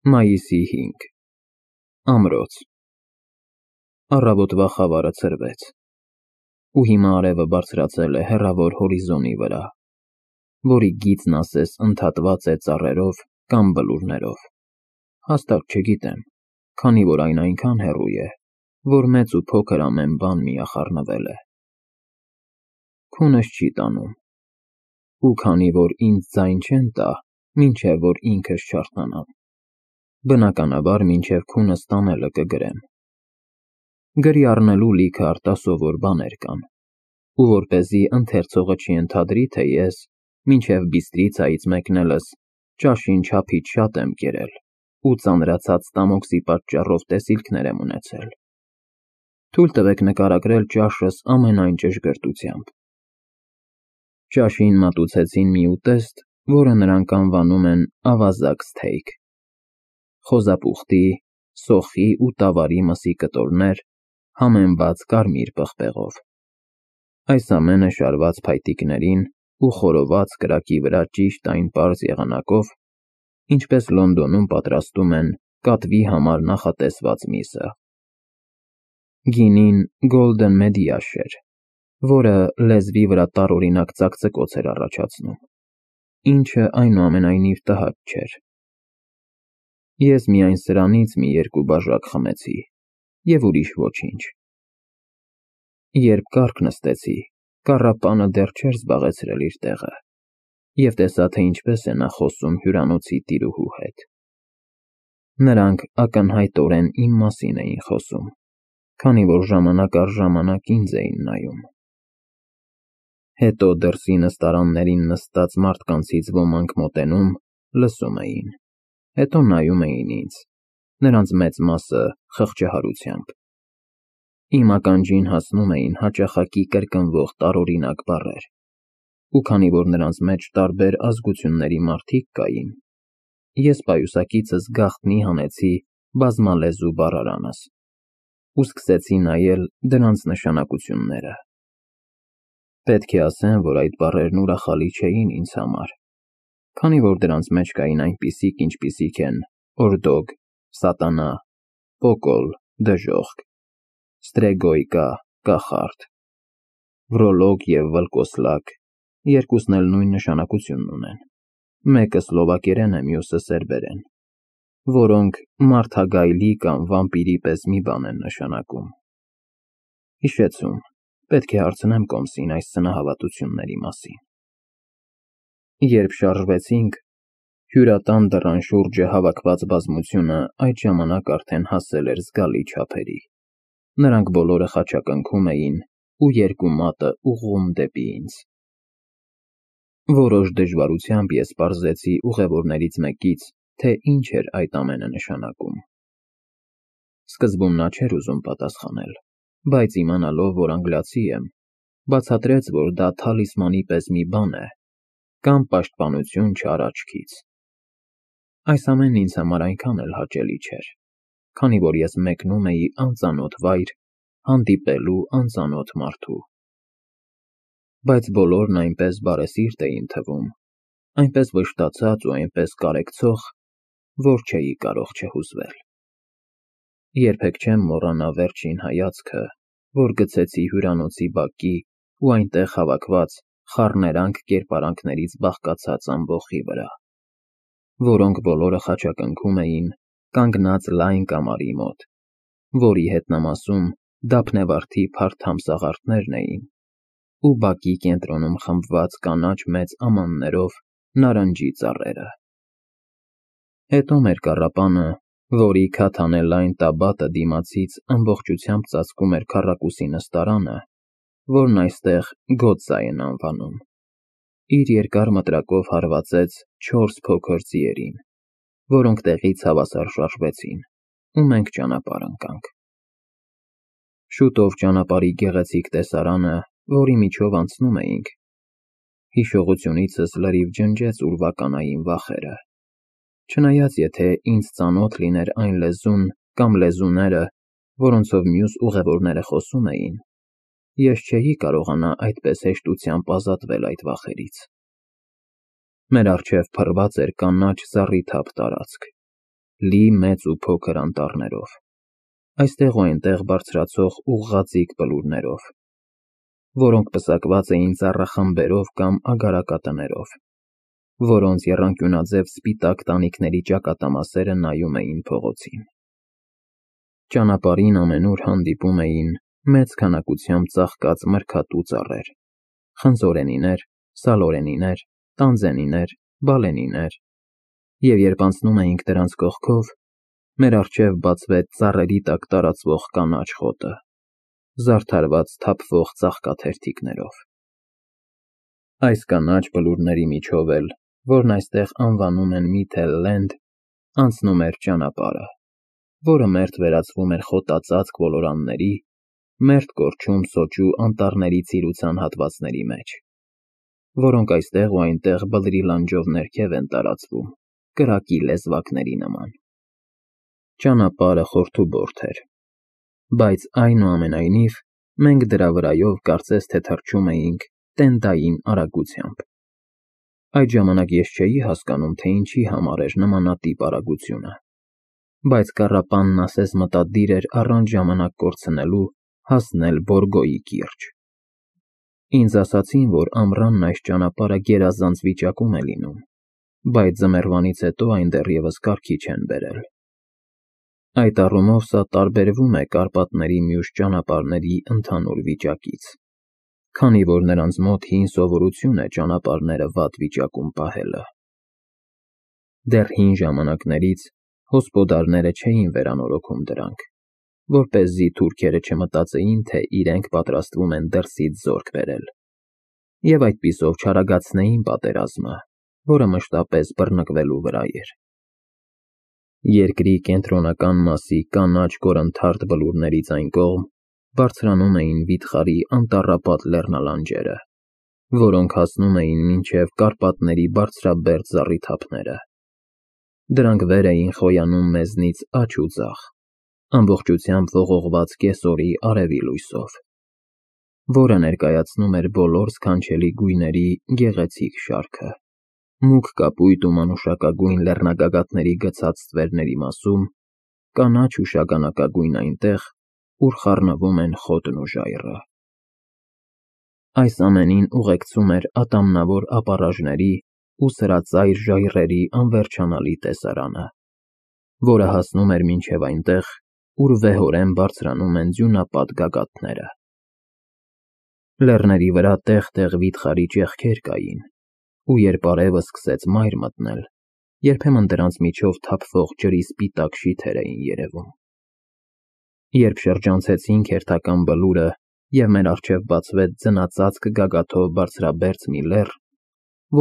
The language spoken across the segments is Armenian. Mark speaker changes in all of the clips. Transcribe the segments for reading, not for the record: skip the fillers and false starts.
Speaker 1: Մայիսի 5 Ամրոց Առավոտվա խավարը ցրվեց, ու հիմա արևը բարձրացել է հեռավոր հորիզոնի վրա, որի գիծն ասես ընդհատված է ծառերով կամ բլուրներով, հաստատ չգիտեմ, քանի որ այն այնքան հեռու է, որ մեծ ու փոքր ամեն բան միախառնվել է։ Քունս չի տանում, ու քանի որ ինձ ձայն չեն տա, մինչև որ ինքս չարթնանամ, բնականաբար մինչև քունս տանելը կգրեմ։ Գրի առնելու լիքը արտասովոր բաներ կան, ու որպեսզի ընթերցողը չընթադրի, թե ես մինչև Բիստրիցայից մեկնելս ճաշին չափից շատ եմ կերել ու ծանրացած ստամոքսի պատճառով տեսիլքներ եմ ունեցել, թույլ տվեք նկարագրել ճաշս ամենայն ճշգրտությամբ։ Ճաշին մատուցեցին մի ուտեստ, որը նրանք անվանում են ավազակ սթեյք, խոզապուխտի, սոխի ու տավարի մսի կտորներ, համեմված կարմիր պղպեղով։ Այս ամենը շարված փայտիկներին ու խորոված կրակի վրա ճիշտ այն պարզ եղանակով, ինչպես Լոնդոնում պատրաստում են կատվի համար նախատեսված միսը։ Գինին Golden Mediash էր, որը լեզվի վրա տարօրինակ ծակծկոց էր առաջացնում, ինչը այնուամենայնիվ տհաճ չէր։ Ես միայն սրանից մի երկու բաժակ խմեցի, և ուրիշ ոչինչ։ Երբ կառք նստեցի, կառապանը դեռ չէր զբաղեցրել իր տեղը, և տեսա, թե ինչպես է նա խոսում հյուրանոցի տիրուհու հետ։ Նրանք ակնհայտորեն իմ մասին էին խոսում, քանի որ ժամանակ առ ժամանակ ինձ էին նայում։ Հետո դրսի նստարաններին նստած մարդկանցից ոմանք մոտենում, լսում էին, հետո նայում էին ինձ, նրանց մեծ մասը խղճահարությամբ։ Իմ ականջին հասնում էին հաճախակի կրկնվող տարօրինակ բառեր, ու քանի որ նրանց մեջ տարբեր ազգությունների մարդիկ կային, ես պայուսակիցս գաղտնի հանեցի բազմալեզու բառարանս ու սկսեցի նայել դրանց նշանակությունները։ Պետք է ասեմ, որ այդ բառերն ուրախալի չէին ինձ համար, քանի որ դրանց մեջ կային այնպիսիք, ինչպիսիք են օրդոգ, սատանա, պոկոլ, դժոխք, ստրեգոյկա, կախարդ, վրոլոգ և վլկոսլակ, երկուսն էլ նույն նշանակությունն ունեն, մեկը սլովակերեն է, մյուսը սերբերեն, որոնք մարդագայլի կամ վամպիրի պես մի բան են նշանակում։ Հիշեցում, պետք է հարցնեմ Կոմսին այս սնահավատությունների մասին։ Երբ շարժվեցինք, հյուրատան դռան շուրջը հավաքված բազմությունը այդ ժամանակ արդեն հասել էր զգալի չափերի։ Նրանք բոլորը խաչակնքում էին ու երկու մատը ուղղում դեպի ինձ։ Որոշ դժվարությամբ ես պարզեցի ուղևորներից մեկից, թե ինչ էր այդ ամենը նշանակում։ Սկզբում նա չէր ուզում պատասխանել, բայց իմանալով, որ անգլիացի եմ, բացատրեց, որ դա թալիսմանի պես մի բան է, կամ պաշտպանություն չար աչքից։ Այս ամենն ինձ համար այնքան էլ հաճելի չէր, քանի որ ես մեկնում էի անծանոթ վայր, հանդիպելու անծանոթ մարդու։ Բայց բոլորն այնպես բարեսիրտ էին թվում, այնպես վշտացած ու այնպես կարեկցող, որ չէի կարող չհուզվել։ Երբեք չեմ մոռանա վերջին հայացքը, որ գցեցի հյուրանոցի բակի ու այնտեղ հավաքված խառներանք կերպարանքներից բաղկացած ամբոխի վրա, որոնք բոլորը խաչակնքում էին կանգնած լայն կամարի մոտ, որի հետնամասում դափնեվարդի փարթ ամսաղարդներն էին ու բակի կենտրոնում խմբված կանաչ մեծ ամաններով նարնջի ծառերը։ Հետո մեր կառապանը, որի քաթանելայն տաբատը դիմացից ամբողջությամբ ծածկում էր քառակուսի նստարանը, որն այստեղ Գոտսայ են անվանում, իր երկար մտրակով հարվածեց 4 փոքր ձիերին, որոնք տեղից հավասար շարժվեցին, ու մենք ճանապարհ ընկանք։ Շուտով ճանապարհի գեղեցիկ տեսարանը, որի միջով անցնում էինք, հիշողությունիցս լրիվ ջնջեց ուրվականային վախերը, չնայած եթե ինձ ծանոթ լիներ այն լեզուն կամ լեզուները, որոնցով մյուս ուղևորները խոսում էին, ես չէի կարողանա այդպես հեշտությամբ ազատվել այդ վախերից։ Մեր առջև փռված էր կանաչ զառիթափ տարածք, լի մեծ ու փոքր անտառներով, այստեղ ու այնտեղ բարձրացող ուղղաձիգ բլուրներով, որոնք պսակված էին ծառախմբերով կամ ագարակատներով, որոնց եռանկյունաձև սպիտակ տանիքների ճակատամասերը նայում էին փողոցին։ Ճանապարհին ամենուր հանդիպում էին մեծ քանակությամբ ծաղկած մրգատու ծառեր, խնձորենիներ, սալորենիներ, տանձենիներ, բալենիներ, և երբ անցնում էինք դրանց կողքով, մեր առջև բացվեց ծառերի տակ տարածվող կանաչ խոտը, զարդարված թափվող ծաղկաթերթիկներով։ Այս կանաչ բլուրների միջով էլ, որն այստեղ անվանում են Middle Land, անցնում էր ճանապարհը, որը մերթ վերածվում էր խոտածածկ ոլորանների, մերթ կորչում սոճու անտառների ծիրուցան հատվածների մեջ, որոնք այստեղ ու այնտեղ բլրի լանջով ներքև են տարածվում, կրակի լեզվակների նման։ Ճանապարհը խորթուբորդ էր, բայց այնուամենայնիվ մենք դրա վրայով կարծես թե թռչում էինք տենդային արագությամբ։ Այդ ժամանակ ես չէի հասկանում, թե ինչի համար էր նմանատիպ արագությունը, բայց կառապանն ասես մտադիր էր առանց ժամանակ կորցնելու հասնել Բորգոյի կիրճ։ Ինձ ասացին, որ ամռանն այս ճանապարհը գերազանց վիճակում է լինում, բայց ձմեռվանից հետո այն դեռևս կարգի չեն բերել։ Այդ առումով սա տարբերվում է Կարպատների մյուս ճանապարհների ընդհանուր վիճակից, քանի որ նրանց մոտ հին սովորություն է ճանապարհները վատ վիճակում պահելը։ Դեռ հին ժամանակներից հոսպոդարները չէին վերանորոգում դրանք, որպեսզի թուրքերը չմտածեին, թե իրենք պատրաստվում են դրսից զորք բերել, և այդպիսով չարագացնեին պատերազմը, որը մշտապես բռնկվելու վրա էր։ Երկրի կենտրոնական մասի կանաչ կորնթարթ բլուրներից այն կողմ բարձրանում էին վիթխարի անտառապատ լեռնալանջերը, որոնք հասնում էին մինչև Կարպատների բարձրաբերդ զառիթափները։ Դրանք վեր էին խոյանում մեզնից աջ ու ձախ, ամբողջությամբ ողողված կեսօրի արևի լույսով, որը ներկայացնում էր բոլոր սքանչելի գույների գեղեցիկ շարքը, մուգ կապույտ ու մանուշակագույն լեռնագագաթների գցած ստվերների մասում, կանաչ ու շագանակագույն այնտեղ, ուր խառնվում են խոտն ու ժայռը։ Այս ամենին ուղեկցում էր ատամնավոր ապառաժների ու սրածայր ժայռերի անվերջանալի տեսարանը, որը հասնում էր մինչև այնտեղ, ուր վեհորեն բարձրանում են ձյունապատ գագաթները։ Լեռների վրա տեղ-տեղ վիթխարի ճեղքեր կային, ու երբ արևը սկսեց մայր մտնել, երբեմն դրանց միջով թափվող ջրի սպիտակ շիթեր էին երևում։ Երբ շրջանցեցինք հերթական բլուրը և մեր առջև բացվեց ձնածածկ գագաթով բարձրաբերձ մի լեռ,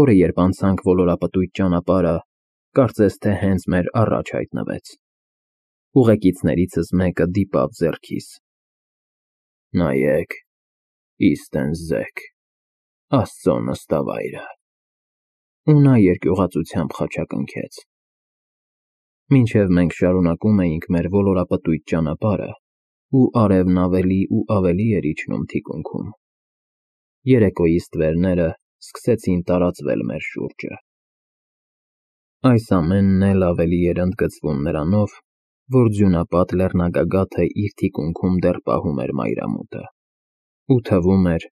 Speaker 1: որը երբ անցանք ոլորապտույտ ճանապարհը, կարծես թե հենց մեր առաջ հայտնվեց, ուղեկիցներիցս մեկը դիպավ ձեռքիս։ Նայեք, Իստենզեք, Աստծո նստավայրը, ու նա երկյուղածությամբ խաչակնքեց։ Մինչև մենք շարունակում էինք մեր ոլորապտույտ ճանապարհը, ու արևն ավելի ու ավելի էր իջնում թիկունքում, երեկոյի ստվերները սկսեցին տարածվել մեր շուրջը։ Այս ամենն էլ ավելի էր ընդգծվում նրանով, որ ձյունապատ լեռնագագաթը իր թիկունքում դեռ պահում էր մայրամուտը, ու թվում էր,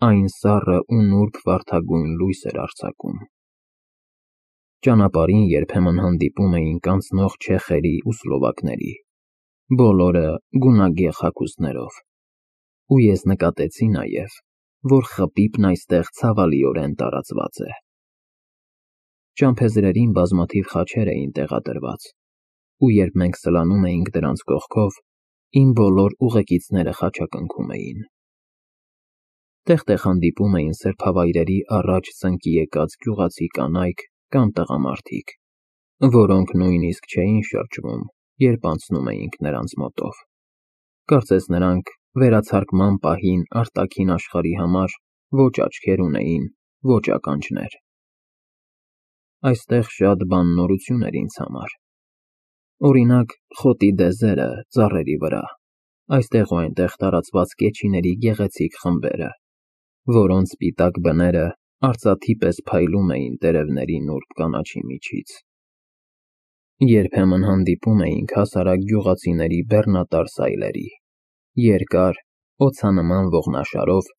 Speaker 1: այն սառը ու նուրբ վարդագույն լույս էր արձակում։ Ճանապարհին երբեմն հանդիպում էինք անցնող չեխերի ու սլովակների, բոլորը գունագեղ հագուստներով, ու ես նկատեցի նաև, որ խպիպն այստեղ ցավալիորեն տարածված է։ Ճամփեզրերին բազմաթիվ խաչեր էին տեղադրված, ու երբ մենք սլանում էինք դրանց կողքով, իմ բոլոր ուղեկիցները խաչակնքում էին։ Տեղ-տեղ հանդիպում էին սրբավայրերի առաջ ծնկի եկած գյուղացի կանայք կամ տղամարդիկ, որոնք նույնիսկ չէին շրջվում, երբ անցնում էինք նրանց մոտով։ Կարծես նրանք վերացարկման պահին արտաքին աշխարհի համար ոչ աչքեր ունեին, ոչ ականջներ։ Այստեղ շատ բան նորություն էր ինձ համար։ Օրինակ, խոտի դեզերը ծառերի վրա, այստեղ ու այնտեղ տարածված կեչիների գեղեցիկ խմբերը, որոնց սպիտակ բները արծաթի պես փայլում էին տերևների նուրբ կանաչի միջից։ Երբեմն հանդիպում էինք հասարակ գյուղացիների բեռնատար սայլերի, երկար, օձանման ողնաշարով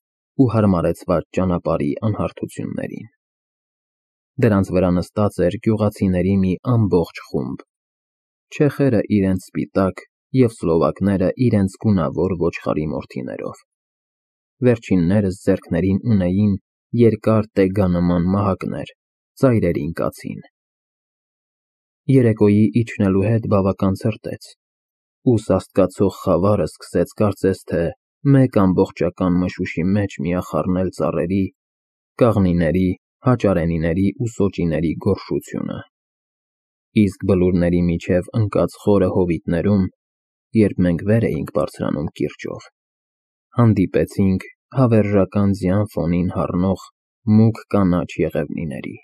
Speaker 1: ու հարմարեցված ճանապարհի անհարթություններին։ Դրանց վրա նստած էր գյուղացիների մի ամբողջ խումբ, չեխերը իրենց սպիտակ և սլովակները իրենց գունավոր ոչխարի մորթիներով։ Վերջիններս ձեռքներին ունեին երկար տեգանման մահակներ, ծայրերին կացին։ Երեկոյի իջնելու հետ բավական ցրտեց, ու սաստկացող խավարը սկսեց կարծես թե մեկ ամբողջական մշուշի մեջ միախառնել ծառերի, կաղնիների, հաճարենիների ու սոճիների գոռշությունը։ Իսկ բլուրների միջև ընկած խորը հովիտներում, երբ մենք վեր էինք բարձրանում կիրճով, հանդիպեցինք հավերժական ձյան ֆոնին հառնող մուգ կանաչ եղևնիների։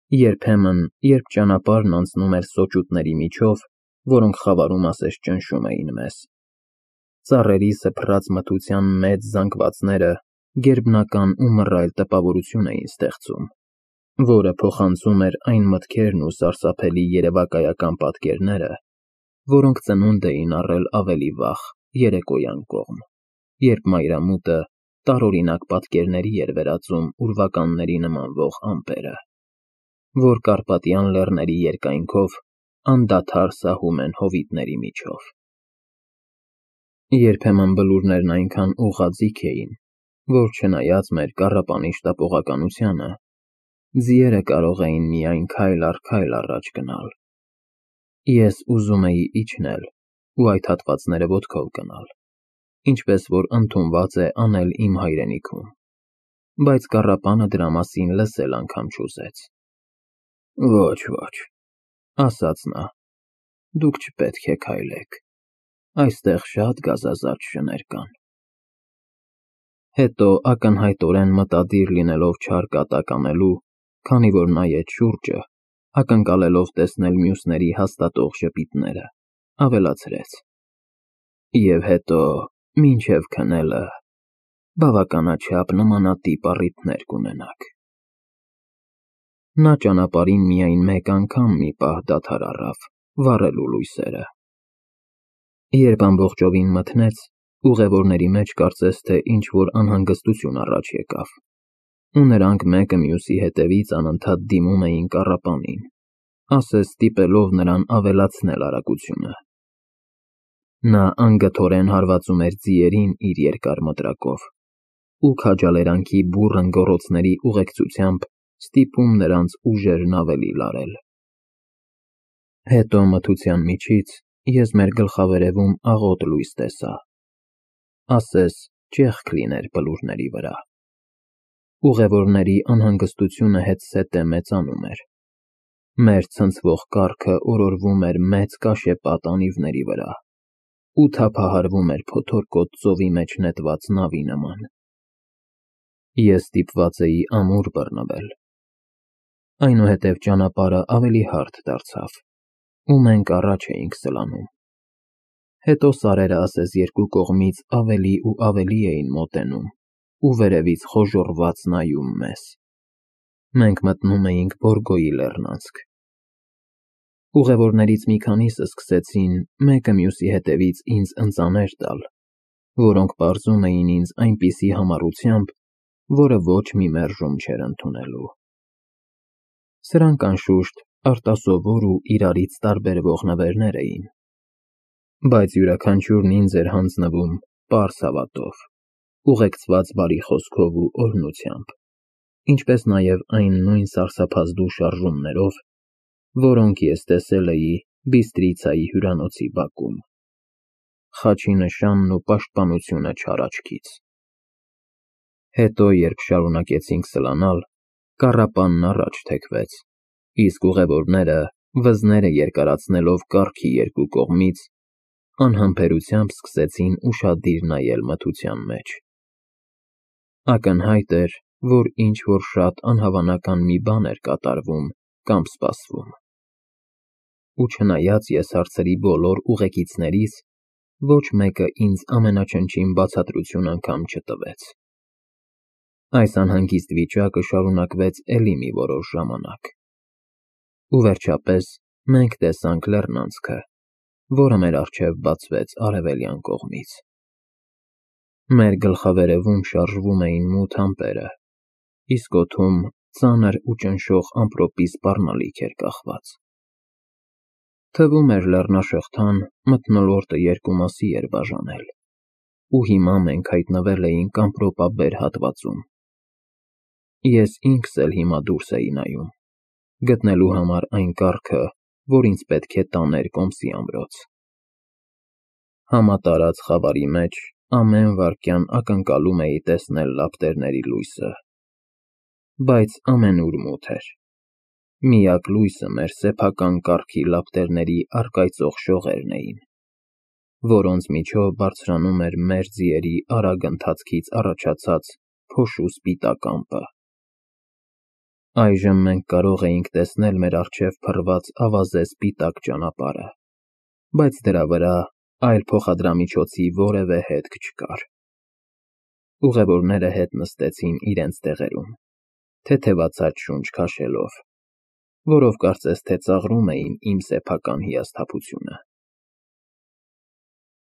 Speaker 1: Երբեմն, երբ ճանապարհն անցնում էր սոճուտների միջով, որոնք խավարում ասես ճնշում էին մեզ, ծառերի սփռած մթության մեծ զանգվածները գերբնական ու մռայլ տպավորություն էին ստեղծում, որը փոխանցում էր այն մտքերն ու սարսափելի երևակայական պատկերները, որոնք ծնունդ էին առել ավելի վաղ, երեկոյան կողմ, երբ մայրամուտը տարօրինակ պատկերների էր վերածում ուրվականների նմանվող ամպերը, որ Կարպատյան լեռների երկայնքով անդադար սահում են հովիտների միջով։ Երբեմն բլուրներն այնքան ուղղաձիգ էին, որ չնայած մեր կառապանի շտապողականությանը, ձիերը կարող էին միայն քայլ առ քայլ առաջ գնալ։ Ես ուզում էի իջնել ու այդ հատվածները ոտքով գնալ, ինչպես որ ընդունված է անել իմ հայրենիքում, բայց կառապանը դրա մասին լսել անգամ չուզեց։ Ոչ, ասաց նա, դուք չպետք է քայլեք, այստեղ շատ գազազարդ շներ կան։ Հետո ակնհայտորեն մտադիր լինելով չար կատակ անելու, քանի որ նայեց շուրջը, ակնկալելով տեսնել մյուսների հաստատող ժպիտները, ավելացրեց. Եվ հետո, մինչև քնելը, բավականաչափ նմանատիպ առիթներ կունենաք։ Նա ճանապարհին միայն մեկ անգամ մի պահ դադար առավ, վառելու լույսերը։ Երբ ամբողջովին մթնեց, ուղևորների մեջ կարծես թե ինչ-որ անհանգստություն առաջ եկավ, ու նրանք մեկը մյուսի հետևից անընդհատ դիմում էին կառապանին, ասես ստիպելով նրան ավելացնել արագությունը։ Նա անգթորեն հարվածում էր ձիերին իր երկար մտրակով ու քաջալերանքի բուռն գոռոցների ուղեկցությամբ ստիպում նրանց ուժերն ավելի լարել։ Հետո մթության միջից ես մեր գլխավերևում աղոտ լույս տեսա, ասես ճեղք լիներ բլուրների վրա։ Ուղևորների անհանգստությունը հետզհետե մեծանում էր։ Մեր ցնցվող կառքը օրորվում էր մեծ կաշեպատ անիվների վրա ու թափահարվում էր փոթորկոտ ծովի մեջ նետված նավի նման։ Ես ստիպված էի ամուր բռնվել։ Այնուհետև ճանապարհը ավելի հարթ դարձավ, ու մենք առաջ էինք սլանում։ Հետո սարերը ասես երկու կողմից ավելի ու ավելի էին մոտենում ու վերևից խոժոռված նայում մեզ։ Մենք մտնում էինք Բորգոյի լեռնանցք։ Ուղևորներից մի քանիսը սկսեցին մեկը մյուսի հետևից ինձ ընծաներ տալ, որոնք պարզում էին ինձ այնպիսի համառությամբ, որը ոչ մի մերժում չէր ընդունելու։ Սրանք, անշուշտ, արտասովոր ու իրարից տարբերվող նվերներ էին, բայց յուրաքանչյուրն ինձ էր հանձնվում պարզ հավատով, ուղեկցված բարի խոսքով ու օրհնությամբ, ինչպես նաև այն նույն սարսափազդու շարժումներով, որոնք ես տեսել էի Բիստրիցայի հյուրանոցի բակում։ Խաչի նշանն ու պաշտպանությունը չար աչքից։ Հետո, երբ շարունակեցինք սլանալ, կառապանն առաջ թեքվեց, իսկ ուղևորները, վզները երկարացնելով կառքի երկու կողմից, անհամբերությամբ սկսեցին ուշադիր նայել մթության մեջ։ Ակնհայտ էր, որ ինչ-որ շատ անհավանական մի բան էր կատարվում կամ սպասվում։ Ու չնայած ես հարցրի բոլոր ուղեկիցներիս, ոչ մեկը ինձ ամենաչնչին բացատրություն անգամ չտվեց։ Այս անհանգիստ վիճակը շարունակվեց էլի մի որոշ ժամանակ։ Ու վերջապես Մենք տեսանք լեռնանցքը, որը մեր առջև բացվեց արևելյան կողմից։ Մեր գլխավերևում շարժվում էին մութ ամպերը, իսկ օդում ծանր ու ճնշող ամպրոպի սպառնալիք էր կախված։ Թվում էր լեռնաշղթան մթնոլորտը երկու մասի էր բաժանել, ու հիմա մենք հայտնվել էինք ամպրոպաբեր հատվածում։ Ես ինքս էլ հիմա դուրս էի նայում, գտնելու համար այն կառքը, որ ինձ պետք է տաներ Կոմսի ամրոց։ Համատարած խավարի մեջ ամեն վայրկյան ակնկալում էի տեսնել լապտերների լույսը, բայց ամենուր մութ էր։ Միակ լույսը մեր սեփական կառքի լապտերների առկայծող շողերն էին, որոնց միջով բարձրանում էր մեր ձիերի արագ ընթացքից առաջացած փոշու սպիտակ ամպը։ Այժմ մենք կարող էինք տեսնել մեր առջև փռված ավազե սպիտակ ճանապարհը, բայց դրա վրա այլ փոխադրամիջոցի որևէ հետք չկար։ Ուղևորները հետ նստեցին իրենց տեղերում, թեթևացած շունչ քաշելով, որով կարծես թե ծաղրում էին իմ սեփական հիասթափությունը։